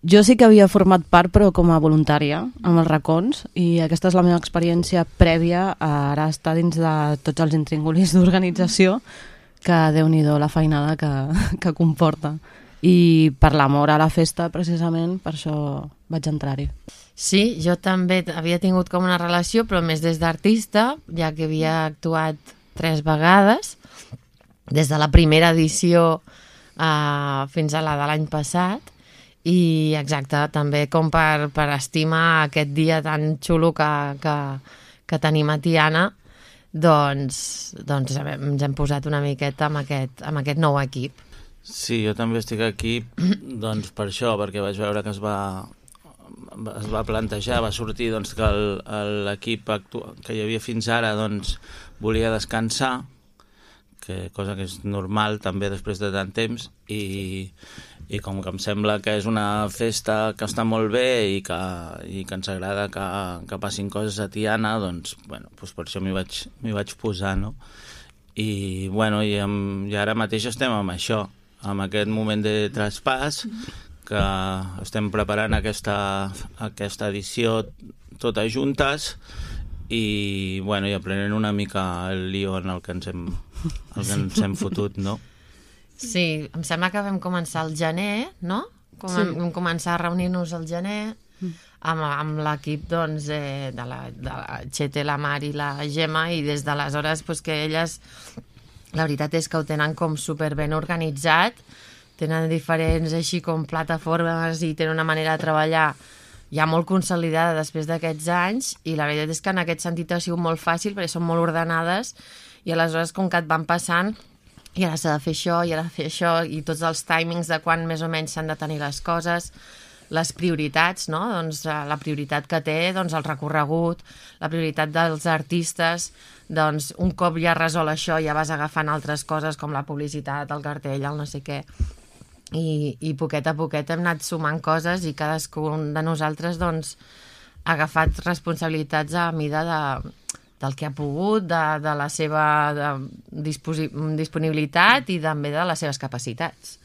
Jo sí que havia format part, però com a voluntària, amb els racons, i aquesta és la meva experiència prèvia a ara estar dins de tots els intríngulis d'organització, que Déu-n'hi-do la feinada que comporta. I per l'amor a la festa, precisament, per això vaig entrar-hi. Sí, jo també havia tingut com una relació, però més des d'artista, ja que havia actuat 3 vegades, des de la primera edició fins a la de l'any passat, i exacte, també com per estimar aquest dia tan xulo que tenim a Tiana, doncs ens hem posat una miqueta amb aquest nou equip. Sí, jo també estic aquí doncs per això, perquè vaig veure que es va plantejar, va sortir doncs, que l'equip que hi havia fins ara doncs, volia descansar, cosa que és normal també després de tant temps, i com que em sembla que és una festa que està molt bé i que ens agrada que passin coses a Tiana, doncs, doncs per això m'hi vaig posar, no? I ara mateix estem amb això, amb aquest moment de traspàs, que estem preparant aquesta edició totes juntes i aprenent una mica el lío en el que ens hem fotut, no? Sí, em sembla que vam començar al gener, no? Vam començar a reunir-nos al gener amb l'equip doncs, de la Txete, la Mar i la Gemma, i des d'aleshores que elles, la veritat és que ho tenen com superben organitzat, tenen diferents així com plataformes i tenen una manera de treballar ja molt consolidada després d'aquests anys, i la veritat és que en aquest sentit ha sigut molt fàcil perquè són molt ordenades, i aleshores com que et van passant i ara s'ha de fer això, i ara de fer això, i tots els timings de quan més o menys s'han de tenir les coses, les prioritats, no? Doncs la prioritat que té el recorregut, la prioritat dels artistes, doncs un cop ja resol això ja vas agafant altres coses com la publicitat, el cartell, el no sé què, i poquet a poquet hem anat sumant coses i cadascun de nosaltres doncs ha agafat responsabilitats a mida del que ha pogut, de la seva disponibilitat i també de les seves capacitats.